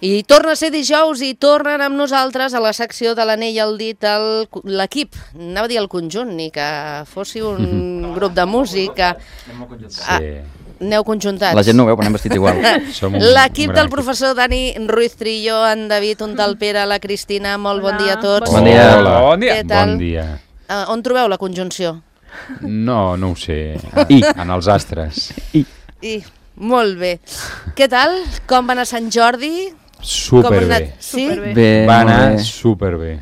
I torna a ser dijous i tornen amb nosaltres a la secció de l'anell al dit l'equip, anava a dir el conjunt, ni que fóssiu un grup de música. Aneu conjuntats. La gent no ho veu, però anem vestits igual. L'equip del professor Dani Ruiz Trillo, en David Untalpera, la Cristina, molt bon dia a tots. Bon dia. Bon dia. Què tal? Bon dia. On trobeu la conjunció? No ho sé. En els astres. Molt bé. Què tal? Com va anar Sant Jordi? Superbé. Sí? Bé, Va molt anar bé. superbé.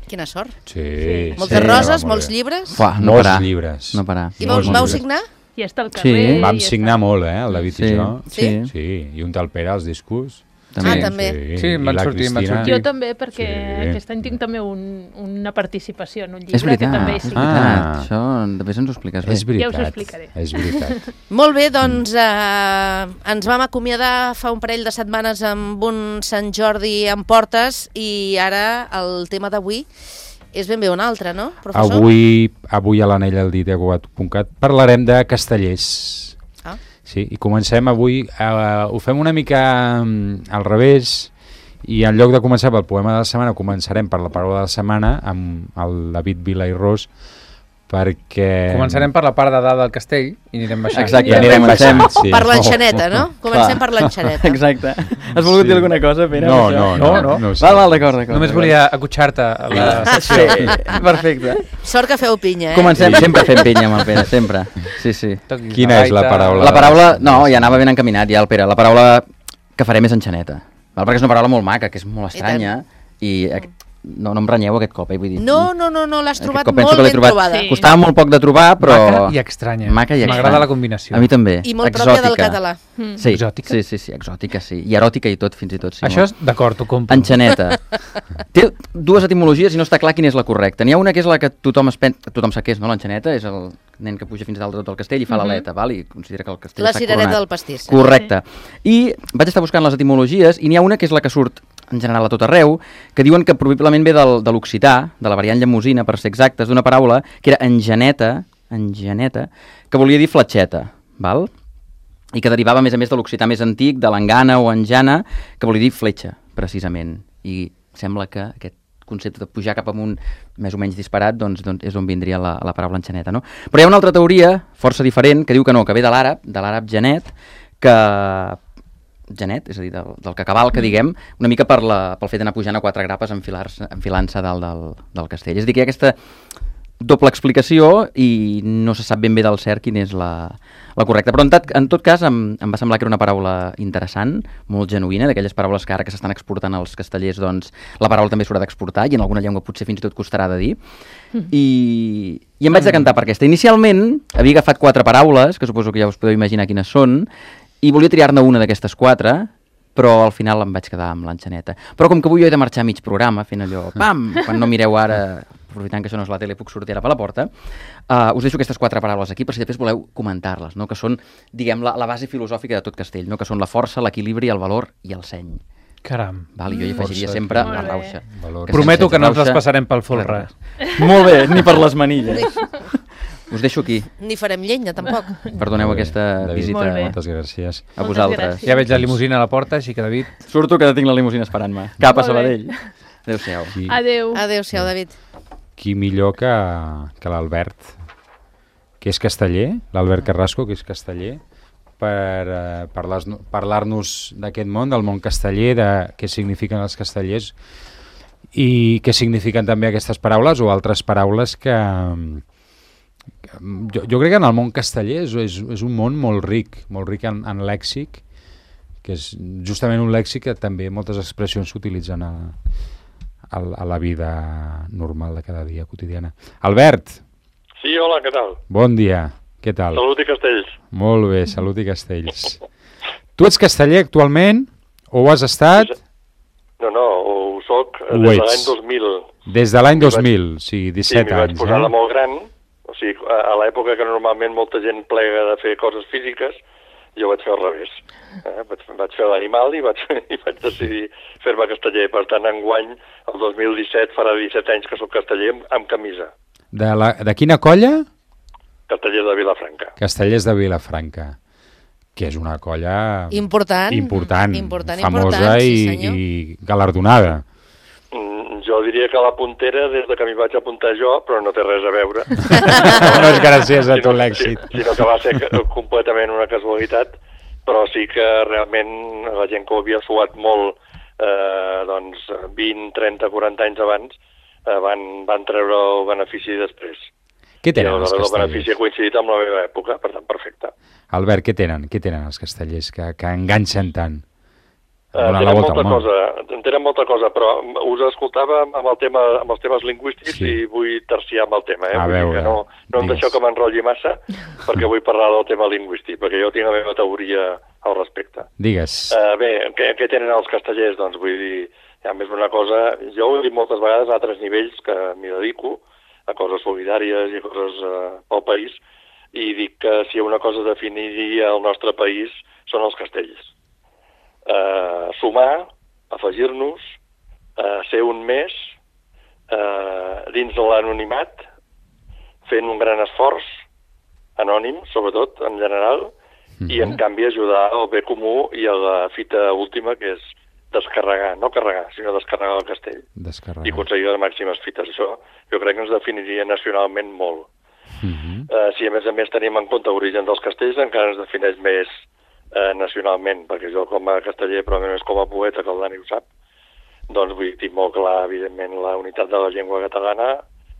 Quina sort. Sí. Moltes roses, molts llibres. Fuà, no Molts parar. llibres. No parar. I Molts vau llibres. signar? I està al Sí. carrer. Vam i signar molt, el David i jo. Sí? Sí, i un Talpera als discos. També. Sí, I van la sortir, van Cristina. sortir. Jo també, perquè Sí. aquest any tinc també una participació en un llibre És veritat, que també he és signat. veritat. Això després ens ho expliques bé. És veritat. Ja us ho explicaré. És veritat. Molt bé, doncs ens vam acomiadar fa un parell de setmanes amb un Sant Jordi en portes i ara el tema d'avui és ben bé un altre, no, professor? Avui a l'anell al dit aguat.cat parlarem de castellers. Sí, i comencem avui, ho fem una mica al revés, i en lloc de començar pel poema de la setmana, començarem per la paraula de la setmana amb el David Vila i Ros, perquè... Començarem per la part de dalt del castell i anirem baixant. Exacte, I anirem comencem. baixant, sí. Per l'enxaneta, no? Comencem per l'enxaneta. Exacte. Has volgut dir alguna cosa, Pere? No, amb això? no. Val, d'acord. Només volia acotxar-te a la Sí, sessió. perfecte. Sort que feu pinya, Comencem, sempre fem pinya amb el Pere, sempre. Sí. Quina és la paraula? La paraula, no, ja anava ben encaminat ja el Pere, la paraula que farem és enxaneta, val? Perquè és una paraula molt maca, que és molt estranya, i no em renyeu aquest cop, vull dir. No, l'has trobat Aquest cop penso molt que l'he ben trobat. trobada. Sí. Costava molt poc de trobar, però... Maca i estranya. Maca i estranya. M'agrada la combinació. A mi també. I molt pròpia del Exòtica. català. Sí. Exòtica? Sí, exòtica, sí. I eròtica i tot, fins i tot. Sí, Això és d'acord, ho compro. Enxaneta. Té dues etimologies i no està clar quina és la correcta. N'hi ha una que és la que tothom sap què és, no? L'enxaneta és el nen que puja fins a dalt de tot el castell i fa l'aleta, val? I considera que el castell La està cirereta coronat. del pastís. Correcte. I vaig estar buscant les etimologies i n'hi ha una que és la que surt en general a tot arreu, que diuen que probablement ve de l'occità, de la variant llemosina, per ser exactes, d'una paraula que era engeneta, que volia dir fletxeta, val? I que derivava, a més de l'occità més antic, de l'engana o enjana, que volia dir fletxa, precisament. I sembla que aquest concepte de pujar cap amunt més o menys disparat doncs és on vindria la paraula enxaneta, no? Però hi ha una altra teoria, força diferent, que diu que no, que ve de l'àrab genet, genet, és a dir, del que cavalca, diguem, una mica pel fet d'anar pujant a quatre grapes enfilant-se dalt del castell. És a dir, que hi ha aquesta doble explicació i no se sap ben bé del cert quina és la correcta. Però en tot cas em va semblar que era una paraula interessant, molt genuïna, d'aquelles paraules que ara que s'estan exportant als castellers, doncs la paraula també s'haurà d'exportar i en alguna llengua potser fins i tot costarà de dir. I em vaig decantar per aquesta. Inicialment havia agafat 4 paraules, que suposo que ja us podeu imaginar quines són, i volia triar-ne una d'aquestes 4, però al final em vaig quedar amb l'enxaneta. Però com que avui jo he de marxar a mig programa, fent allò, pam, quan no mireu ara, aprofitant que això no és la tele, puc sortir ara per la porta, us deixo aquestes 4 paraules aquí per si després voleu comentar-les, no? Que són, diguem, la base filosòfica de tot castell, no? Que són la força, l'equilibri, el valor i el seny. Caram. Val? I jo hi afegiria sempre la rauxa. Prometo que no ens les rauxa, passarem pel folre. Molt bé, ni per les manilles. Us deixo aquí. Ni farem llenya, tampoc. Perdoneu aquesta visita Moltes gràcies. a vosaltres. Ja veig la limusina a la porta, així que David... Surto que tinc la limusina esperant-me. Cap a Sabadell. Adéu-siau. Adéu. Adéu-siau, David. Qui millor que l'Albert, que és casteller, l'Albert Carrasco, que és casteller, per parlar-nos d'aquest món, del món casteller, de què signifiquen els castellers i què signifiquen també aquestes paraules o altres paraules que jo crec que en el món casteller és un món molt ric en lèxic, que és justament un lèxic que també moltes expressions s'utilitzen a la vida normal de cada dia, quotidiana. Albert! Sí, hola, què tal? Bon dia, què tal? Salut i castells. Molt bé, salut i castells. Tu ets casteller actualment? O ho has estat? No, ho soc Ho des de ets. l'any 2000. Des de l'any 2000, sí, 17 m'hi vaig anys. posar de molt gran, o sigui, a l'època que normalment molta gent plega de fer coses físiques, jo vaig fer al revés. Vaig fer l'animal i vaig decidir fer-me casteller. Per tant, enguany, el 2017, farà 17 anys que soc casteller amb camisa. De quina colla? Casteller de Vilafranca. Castellers de Vilafranca. que és una colla important, famosa sí, senyor. i galardonada. Jo diria que la puntera des de que m'hi vaig apuntar jo, però no té res a veure. No és gràcies a tot l'èxit. Sinó que va ser completament una casualitat, però sí que realment la gent que ho havia suat molt 20, 30, 40 anys abans van treure el benefici després. Què tenen els El castellers? benefici ha coincidit amb la meva època, per tant, perfecte. Albert, què tenen els castellers que enganxen tant? Tenen molta cosa, però us escoltava amb els temes lingüístics i vull terciar amb el tema. A veure, no em deixeu que m'enrotlli massa, perquè vull parlar del tema lingüístic, perquè jo tinc la meva teoria al respecte. Digues. Bé, què tenen els castellers? Doncs vull dir, a més una cosa, jo ho he dit moltes vegades a altres nivells que m'hi dedico, a coses solidàries i coses pel país, i dic que si una cosa definiria el nostre país són els castells. Sumar, afegir-nos, ser un més, dins de l'anonimat, fent un gran esforç, anònim, sobretot, en general, i en canvi ajudar al bé comú i a la fita última, que és descarregar, no carregar, sinó descarregar el castell. I aconseguir les màximes fites. Això jo crec que ens definiria nacionalment molt. Si a més tenim en compte l'origen dels castells, encara ens defineix més nacionalment, perquè jo com a casteller, però més com a poeta, que el Dani ho sap, doncs vull dir molt clar, evidentment, la unitat de la llengua catalana,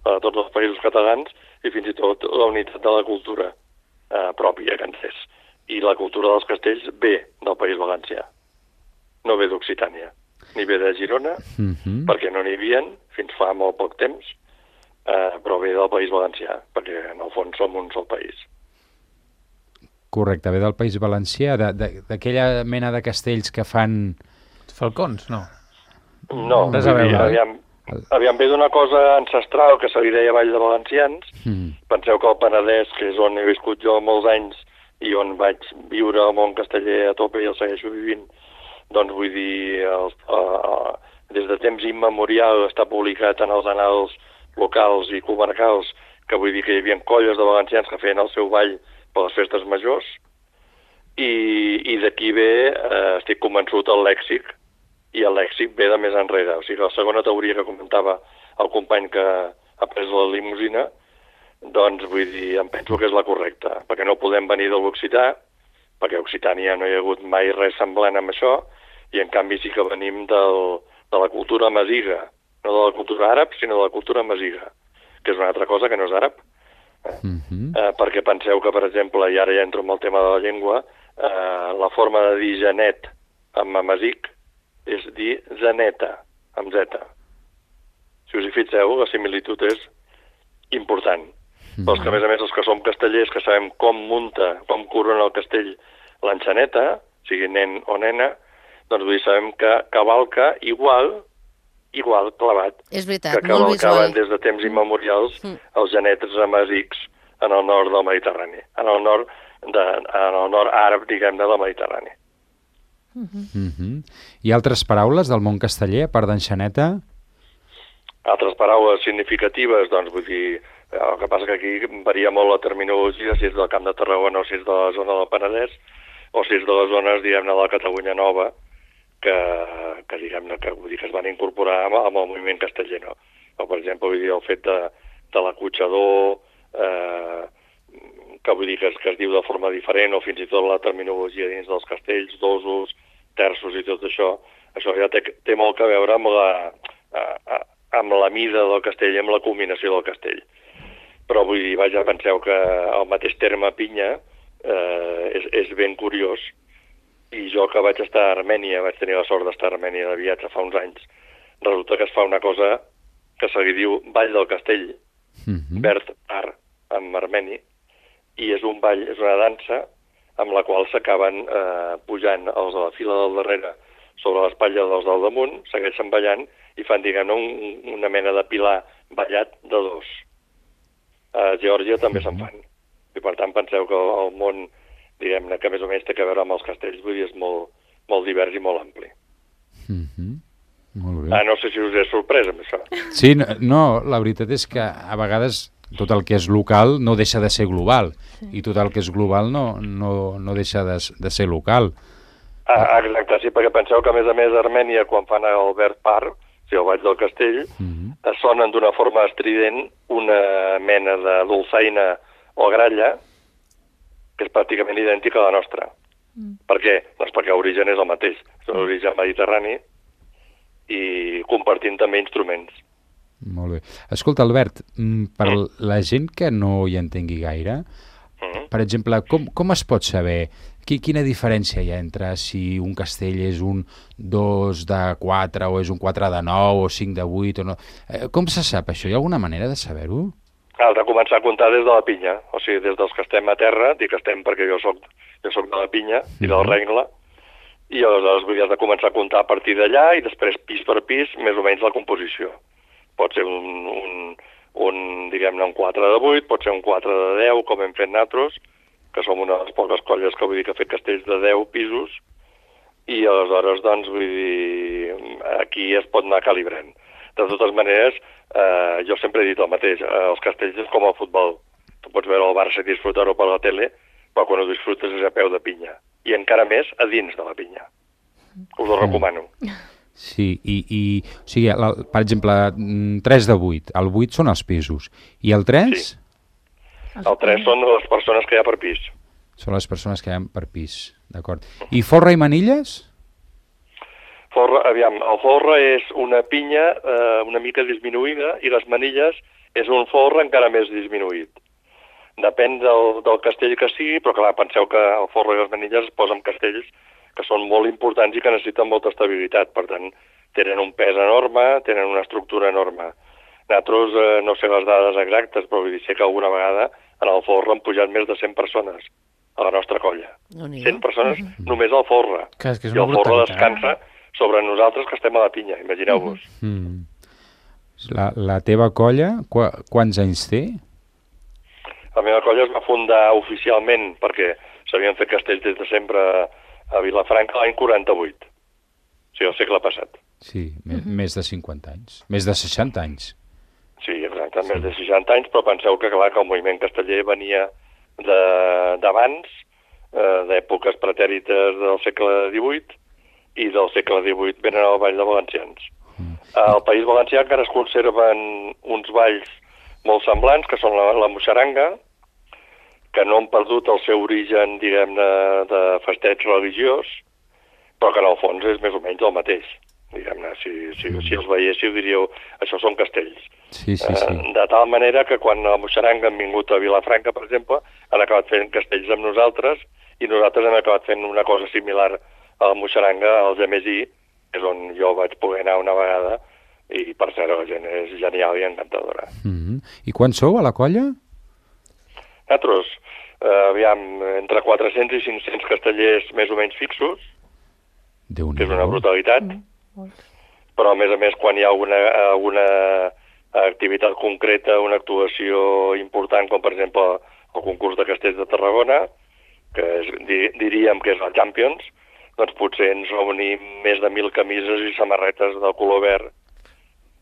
de tots els països catalans, i fins i tot la unitat de la cultura pròpia que ens és. I la cultura dels castells ve del País Valencià, no ve d'Occitània, ni ve de Girona, perquè no n'hi havia fins fa molt poc temps, però ve del País Valencià, perquè en el fons som un sol país. Correcte, ve del País Valencià, d'aquella mena de castells que fan... Falcons, no? No, aviam, ve d'una cosa ancestral que se li deia Vall de Valencians. Penseu que el Penedès, que és on he viscut jo molts anys i on vaig viure al món casteller a tope i el segueixo vivint, doncs vull dir, des de temps immemorial està publicat en els annals locals i comarcals, que vull dir que hi havia colles de valencians que feien el seu ball per les festes majors, i d'aquí ve, estic convençut, el lèxic, i el lèxic ve de més enrere. O sigui, la segona teoria que comentava el company que ha pres la limusina, doncs vull dir, em penso que és la correcta, perquè no podem venir de l'occità, perquè a Occitània no hi ha hagut mai res semblant amb això, i en canvi sí que venim de la cultura masiga, no de la cultura àrab, sinó de la cultura masiga, que és una altra cosa que no és àrab. Perquè penseu que, per exemple, i ara ja entro en el tema de la llengua, la forma de dir genet amb amasic és dir zeneta, amb zeta. Si us hi fixeu, la similitud és important. Però que, a més, els que som castellers, que sabem com munta, com corona el castell l'enxaneta, sigui nen o nena, doncs vull dir, sabem que cavalca igual clavat, és veritat, que cavalcaven des de temps immemorials els genets amasics en el nord del Mediterrani, en el nord àrab, diguem, del Mediterrani. I altres paraules del món casteller, a part d'enxaneta? Altres paraules significatives, doncs vull dir, el que passa que aquí varia molt la terminologia, si és del Camp de Tarragona o si és de la zona del Penedès, o si és de les zones, diguem-ne, de la Catalunya Nova, que diguem-ne, que vull dir que es van incorporar amb el moviment casteller, no? O, per exemple, vull dir, el fet de l'acotxador, que vull dir que es diu de forma diferent, o fins i tot la terminologia dins dels castells, dosos, terços i tot això ja té molt a veure amb la mida del castell i amb la culminació del castell. Però vull dir, vaja, penseu que el mateix terme pinya és ben curiós, i jo que vaig estar a Armènia, vaig tenir la sort d'estar a Armènia de viatge fa uns anys, resulta que es fa una cosa que se li diu Ball del Castell, verd ar, en armeni, i és un ball, és una dansa amb la qual s'acaben pujant els de la fila del darrere sobre l'espatlla dels del damunt, segueixen ballant i fan, diguem-ne, una mena de pilar ballat de dos. A Geòrgia també se'n fan. I per tant penseu que el món, diguem-ne, que més o menys té a veure amb els castells, vull dir, és molt divers i molt ampli. Molt bé. No sé si us he sorprès amb això. Sí, no, la veritat és que a vegades, tot el que és local no deixa de ser global, i tot el que és global no deixa de ser local. Exacte, sí, perquè penseu que, a més, a Armènia, quan fan el Verd Park, o sigui, el Ball del Castell, sonen d'una forma estrident una mena de dolçaina o gralla que és pràcticament idèntica a la nostra. Per què? Doncs perquè l'origen és el mateix, és un origen mediterrani i compartint també instruments. Molt bé. Escolta, Albert, per la gent que no hi entengui gaire, per exemple, com es pot saber quina diferència hi ha entre si un castell és un 2 de 4 o és un 4 de 9 o 5 de 8 o no? Com se sap això? Hi ha alguna manera de saber-ho? Has de començar a comptar des de la pinya, o sigui, des dels que estem a terra, dic que estem perquè jo soc de la pinya i del rengle, i aleshores has de començar a comptar a partir d'allà i després pis per pis més o menys la composició. Pot ser diguem-ne, un 4 de 8, pot ser un 4 de 10, com hem fet nosaltres, que som una de les poques colles que vull dir que ha fet castells de 10 pisos, i aleshores, doncs, vull dir, aquí es pot anar calibrant. De totes maneres, jo sempre he dit el mateix, els castells és com el futbol. Tu pots veure el Barça i disfrutar-ho per la tele, però quan ho disfrutes és a peu de pinya. I encara més a dins de la pinya. Us ho recomano. Sí, o sigui, per exemple, 3 de 8, el 8 són els pisos, i el 3? Sí. El 3 són les persones que hi ha per pis. Són les persones que hi ha per pis, d'acord. I forra i manilles? El forra és una pinya una mica disminuïda i les manilles és un forra encara més disminuït. Depèn del castell que sigui, però clar, penseu que el forra i les manilles es posen castells que són molt importants i que necessiten molta estabilitat. Per tant, tenen un pes enorme, tenen una estructura enorme. Nosaltres, no sé les dades exactes, però vull dir, sé que alguna vegada en el forra han pujat més de 100 persones a la nostra colla. 100 persones només al forra. I el forra descansa sobre nosaltres que estem a la pinya, imagineu-vos. La teva colla, quants anys té? La meva colla es va fundar oficialment perquè s'havien fet castells des de sempre a Vilafranca l'any 48. O sigui, el segle passat. Sí, més de 50 anys. Més de 60 anys. Sí, exacte, més de 60 anys, però penseu que, clar, que el moviment casteller venia d'abans, d'èpoques pretèrites del segle XVIII, i del segle XVIII venen al Ball de Valencians. Al País Valencià encara es conserven uns balls molt semblants, que són la moixaranga, que no han perdut el seu origen, diguem-ne, de festeig religiós, però que en el fons és més o menys el mateix. Diguem-ne, si els veiéssiu diríeu, això són castells. Sí. De tal manera que quan a Moixaranga han vingut a Vilafranca, per exemple, han acabat fent castells amb nosaltres, i nosaltres hem acabat fent una cosa similar a la Moixaranga, al Gemesí, és on jo vaig poder anar una vegada, i per cert la gent és genial i encantadora. I quan sou a la colla? Nosaltres, entre 400 i 500 castellers més o menys fixos, que és una brutalitat, però a més quan hi ha alguna activitat concreta, una actuació important, com per exemple el concurs de castells de Tarragona, que diríem que és el Champions, doncs potser ens reunim més de 1.000 camises i samarretes del color verd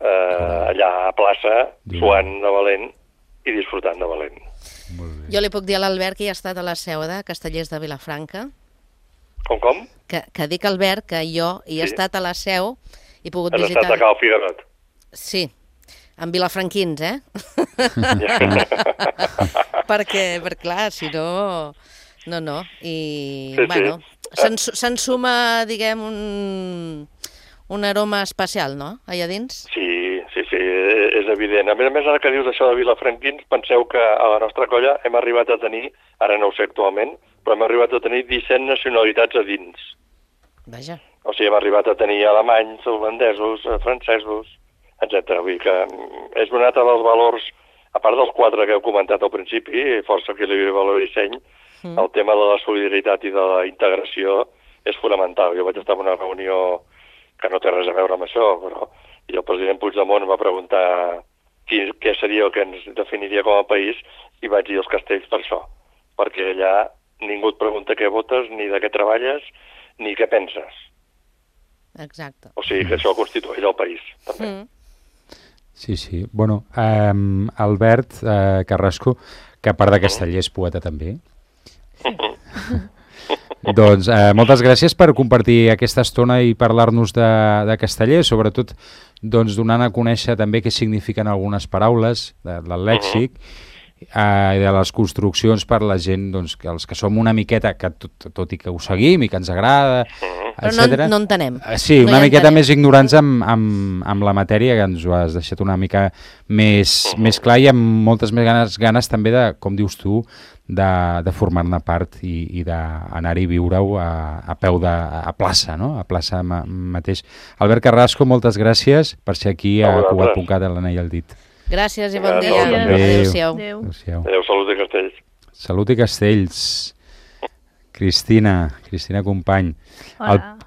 allà a plaça, suant de valent i disfrutant de valent. Jo li puc dir a l'Albert que hi ha estat a la seu de Castellers de Vilafranca. Com? Que dic, Albert, que jo hi he estat a la seu i he pogut visitar... Has estat a Cal Figuerot? Sí, amb vilafranquins, perquè clar, si no... No. I, bueno, s'ensuma, diguem, un aroma especial, no?, allà dins? Sí, és evident. A més, ara que dius això de vilafranquins, penseu que a la nostra colla hem arribat a tenir, ara no ho sé actualment, però hem arribat a tenir 17 nacionalitats a dins. Vaja. O sigui, hem arribat a tenir alemanys, holandesos, francesos, etc. Vull dir que és un altre dels valors, a part dels 4 que heu comentat al principi, força equilibri, valor i disseny, el tema de la solidaritat i de la integració és fonamental. Jo vaig estar en una reunió que no té res a veure amb això, però i el president Puigdemont va preguntar què seria el que ens definiria com a país i vaig dir els castells per això, perquè allà ningú et pregunta què votes, ni de què treballes, ni què penses. Exacte. O sigui que això constitueix el país, també. Sí, sí. Bueno, Albert Carrasco, que a part de casteller és poeta també. Doncs moltes gràcies per compartir aquesta estona i parlar-nos de casteller, sobretot doncs, donant a conèixer també què signifiquen algunes paraules del lèxic i de les construccions per la gent, doncs, que els que som una miqueta, que tot i que ho seguim i que ens agrada, però no entenem. Sí, una miqueta més ignorants amb la matèria, que ens ho has deixat una mica més clar i amb moltes més ganes també de, com dius tu, de formar-ne part i d'anar-hi a viure-ho a peu a plaça, no? A plaça mateix. Albert Carrasco, moltes gràcies per ser aquí a Cugat.cat, a l'Anell al dit. Gràcies i bon dia. Adéu-siau. Adéu, salut i castells. Salut i castells. Cristina Company.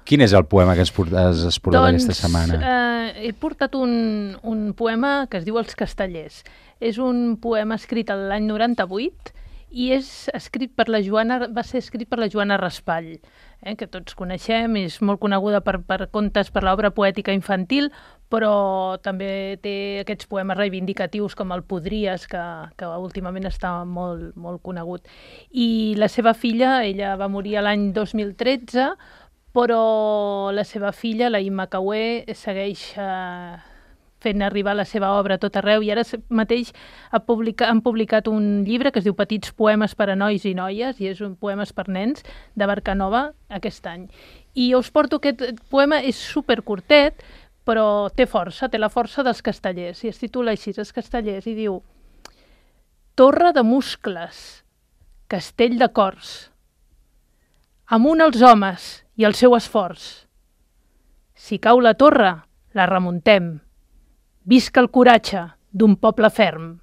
Quin és el poema que has portat aquesta setmana? He portat un poema que es diu Els castellers. És un poema escrit l'any 98 i va ser escrit per la Joana Raspall, que tots coneixem, és molt coneguda per contes, per l'obra poètica infantil, però també té aquests poemes reivindicatius com el Podries, que últimament està molt, molt conegut. I la seva filla, ella va morir l'any 2013, però la seva filla, la Imma Caué, segueix fent arribar la seva obra a tot arreu i ara mateix han publicat un llibre que es diu Petits poemes per a nois i noies i és un poemes per nens de Barcanova aquest any. I us porto aquest poema, és supercurtet, però té la força dels castellers i es titula així, Els castellers, i diu: Torre de muscles, castell de cors, amunt els homes i el seu esforç. Si cau la torre, la remuntem. Visca el coratge d'un poble ferm.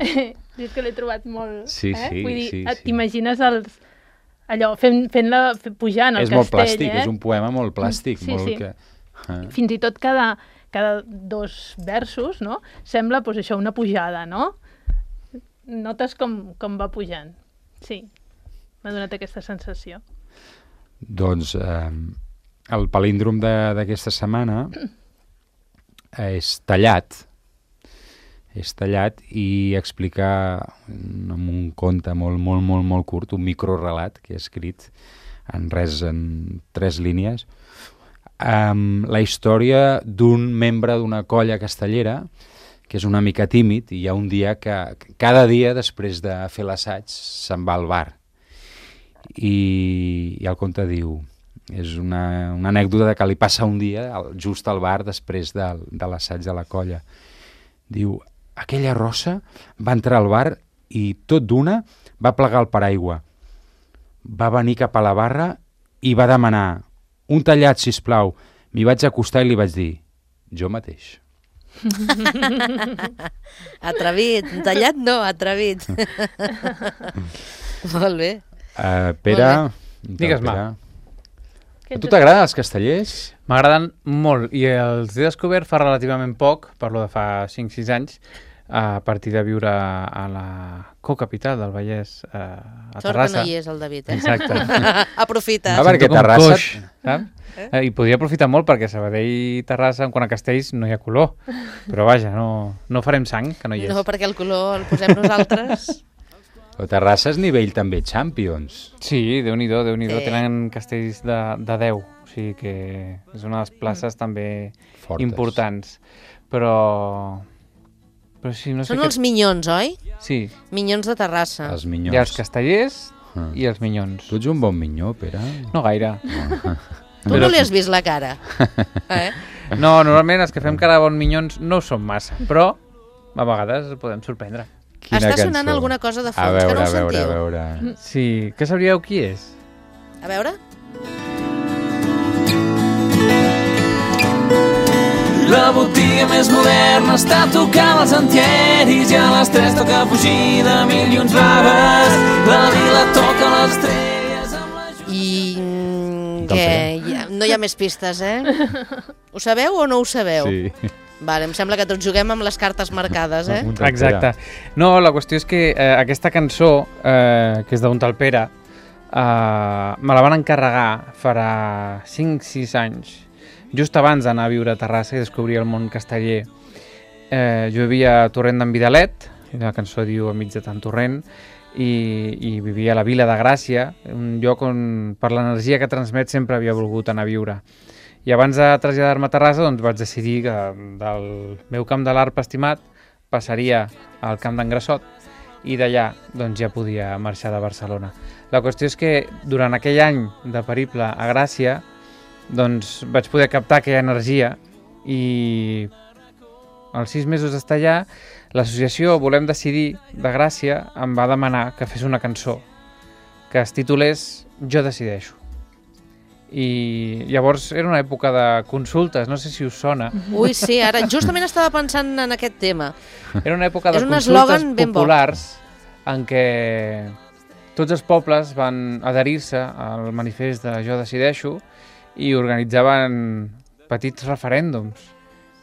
És que l'he trobat molt... Sí. Vull dir, t'imagines allò, fent-la pujant al castell. És molt plàstic, és un poema molt plàstic. Sí. Que... Fins i tot cada 2 versos, no? Sembla, doncs això, una pujada, no? Notes com va pujant. Sí, m'ha donat aquesta sensació. Doncs el palíndrom d'aquesta setmana és tallat i explicar amb un conte molt curt, un microrelat que he escrit en 3 línies, la història d'un membre d'una colla castellera que és una mica tímid i hi ha un dia que cada dia després de fer l'assaig se'n va al bar i el conte diu, és una anècdota que li passa un dia just al bar després de l'assaig de la colla. Diu, aquella rossa va entrar al bar i tot d'una va plegar el paraigua. Va venir cap a la barra i va demanar un tallat, sisplau. M'hi vaig acostar i li vaig dir, jo mateix. Atrevit, tallat no, atrevit. Molt bé. Pere, digues-me. A tu t'agraden els castellers? M'agraden molt i els he descobert fa relativament poc, parlo de fa 5-6 anys, a partir de viure a la cocapital del Vallès, a Terrassa. Sort que no hi és el David, Exacte. Aprofita. Perquè Terrassa... Coix, I podria aprofitar molt perquè Sabadell i Terrassa, en quant a castells, no hi ha color. Però vaja, no farem sang, que no hi és. No, perquè el color el posem nosaltres. Però Terrassa és nivell també Champions. Sí, Déu-n'hi-do. Tenen castells de 10, o sigui que és una de les places també fortes, importants. Però sí, no sé. Són els minyons, oi? Sí. Minyons de Terrassa. Els minyons. Hi ha els castellers i els minyons. Tu ets un bon minyó, Pere? No gaire. Tu no li has vist la cara. No, normalment els que fem cara de bons minyons no ho som massa, però a vegades podem sorprendre. Està sonant alguna cosa de fons, que no ho sentiu. A veure. Sí, que sabríeu qui és? A veure. La botiga més moderna està tocant els antieris i a les 3 toca fugir de mil i uns vagues. La vila toca les estrelles amb la... I què? No hi ha més pistes, Ho sabeu o no ho sabeu? Sí. Vale, em sembla que tots juguem amb les cartes marcades, Exacte. No, la qüestió és que aquesta cançó, que és d'un tal Pere, me la van encarregar farà 5-6 anys, just abans d'anar a viure a Terrassa i descobrir el món casteller. Jo vivia a Torrent d'en Vidalet, la cançó diu a mig de tant torrent, i vivia a la Vila de Gràcia, un lloc on per l'energia que transmet sempre havia volgut anar a viure. I abans de traslladar-me a Terrassa doncs vaig decidir que del meu camp de l'Arpa estimat passaria al camp d'en Grassot i d'allà doncs, ja podia marxar de Barcelona. La qüestió és que durant aquell any de periple a Gràcia doncs, vaig poder captar aquella energia i als 6 mesos d'estar allà l'associació Volem Decidir de Gràcia em va demanar que fes una cançó que es titulés Jo decideixo. I llavors era una època de consultes, no sé si us sona. Ui, sí, ara justament estava pensant en aquest tema. Era una època de És un consultes eslògan ben bo. populars en què tots els pobles van adherir-se al manifest de Jo decideixo i organitzaven petits referèndums.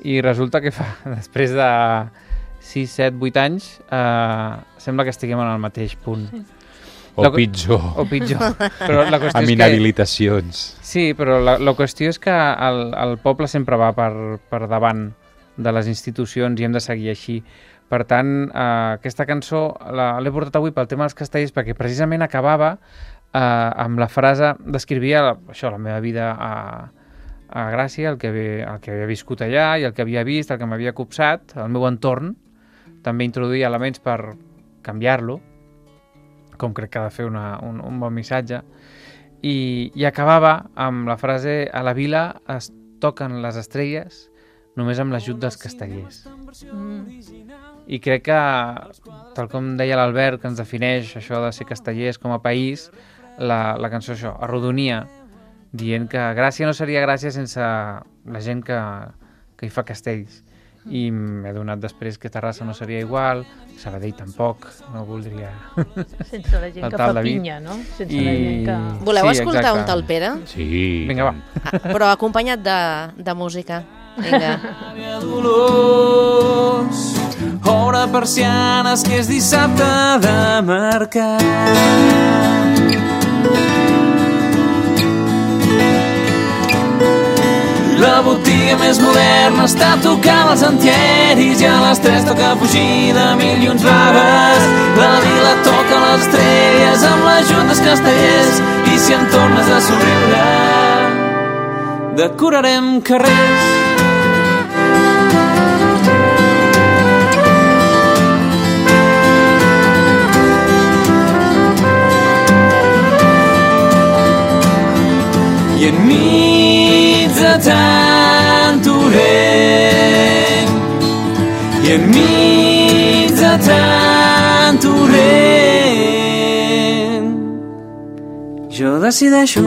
I resulta que després de 6, 7, 8 anys sembla que estiguem en el mateix punt. O pitjor. O pitjor. Però la qüestió Amb és inhabilitacions. Sí, però la qüestió és que el poble sempre va per davant de les institucions i hem de seguir així. Per tant, aquesta cançó l'he portat avui pel tema dels castellers perquè precisament acabava amb la frase, descrivia això, la meva vida a Gràcia, el que havia viscut allà i el que havia vist, el que m'havia copsat, el meu entorn. També introduïa elements per canviar-lo, com crec que ha de fer un bon missatge, i acabava amb la frase a la vila es toquen les estrelles només amb l'ajut dels castellers. I crec que, tal com deia l'Albert, que ens defineix això de ser castellers com a país, la cançó això, arrodonia, dient que Gràcia no seria Gràcia sense la gent que hi fa castells. I m'he donat després que Terrassa no seria igual, Sabadell tampoc, no voldria... Sense la gent que fa pinya, no? Sense la gent que... Voleu escoltar un tal Pere? Sí. Vinga, va. Però acompanyat de música. Vinga. Dolors, obre persianes que és dissabte de mercat. La botiga més moderna està tocant els antieris i a les 3 toca fugir de mil i uns vagues. La vila toca les estrelles amb l'ajut dels castellers i si en tornes a somriure decorarem carrers. I enmig de tant torrent, i enmig de tant torrent, jo decideixo,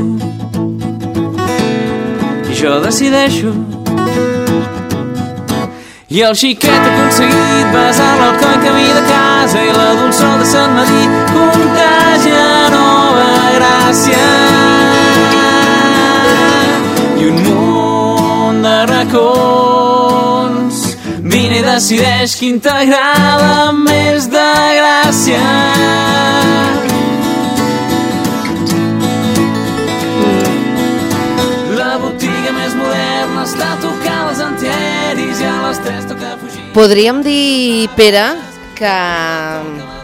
i el xiquet ha aconseguit besar l'alcoi camí de casa i la dolçor de Sant Madí contagia Nova Gràcia. I un munt de racons vine i decideix quin t'agrada més de Gràcia. La botiga més moderna està tocant els antieris i a les 3 toca fugir. Podríem dir, Pere, que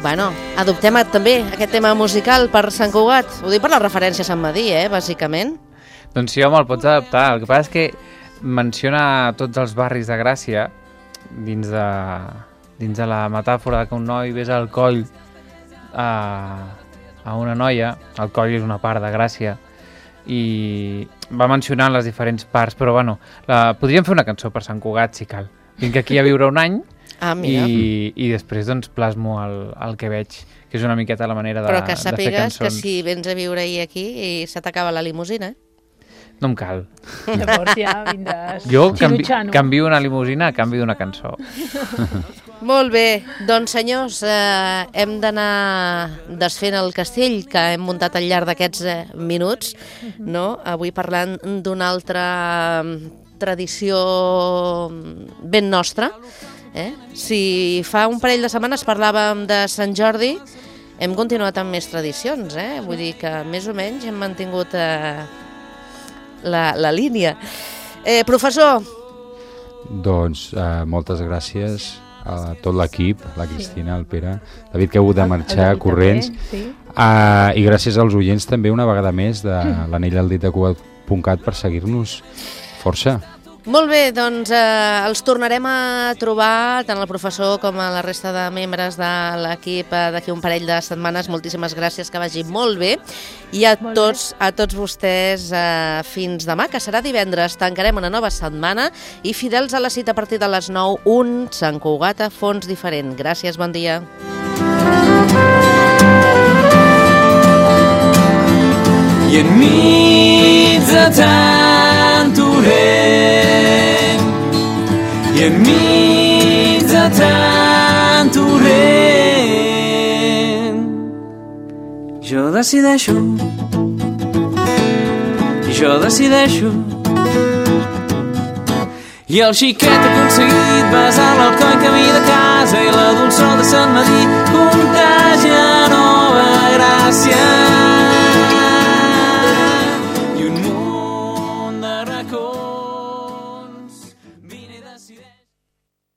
bueno, adoptem també aquest tema musical per Sant Cugat. Ho dic per la referència a Sant Madí, bàsicament. Doncs sí, home, el pots adaptar. El que passa és que menciona tots els barris de Gràcia dins de la metàfora que un noi besa el coll a una noia. El coll és una part de Gràcia i va mencionant les diferents parts, però bueno, podríem fer una cançó per Sant Cugat si cal. Vinc aquí a viure un any i després doncs plasmo el que veig, que és una miqueta la manera de fer cançons. Però que sàpigues que si vens a viure aquí i se t'acaba la limusina, No em cal. Llavors ja vindràs Jo xirutxano. canvio una limusina a canvi d'una cançó. Molt bé, doncs senyors, hem d'anar desfent el castell que hem muntat al llarg d'aquests minuts, no? Avui parlant d'una altra tradició ben nostra. Si fa un parell de setmanes parlàvem de Sant Jordi, hem continuat amb més tradicions, vull dir que més o menys hem mantingut la línia. Professor, Doncs moltes gràcies a tot l'equip, la Cristina, el Pere, David, que ha hagut de marxar corrents, i gràcies als oients també una vegada més de l'Anell al dit de Cugat.cat per seguir-nos força. Molt bé, doncs els tornarem a trobar, tant el professor com a la resta de membres de l'equip d'aquí un parell de setmanes. Moltíssimes gràcies, que vagi molt bé. I a tots vostès, fins demà, que serà divendres. Tancarem una nova setmana i fidels a la cita a partir de les 9, un Sant Cugat a fons diferent. Gràcies, bon dia. I enmig de tant orent, i enmig de tant orent, jo decideixo, i el xiquet ha aconseguit besar l'alcoi camí de casa i la dolçor de Sant Madí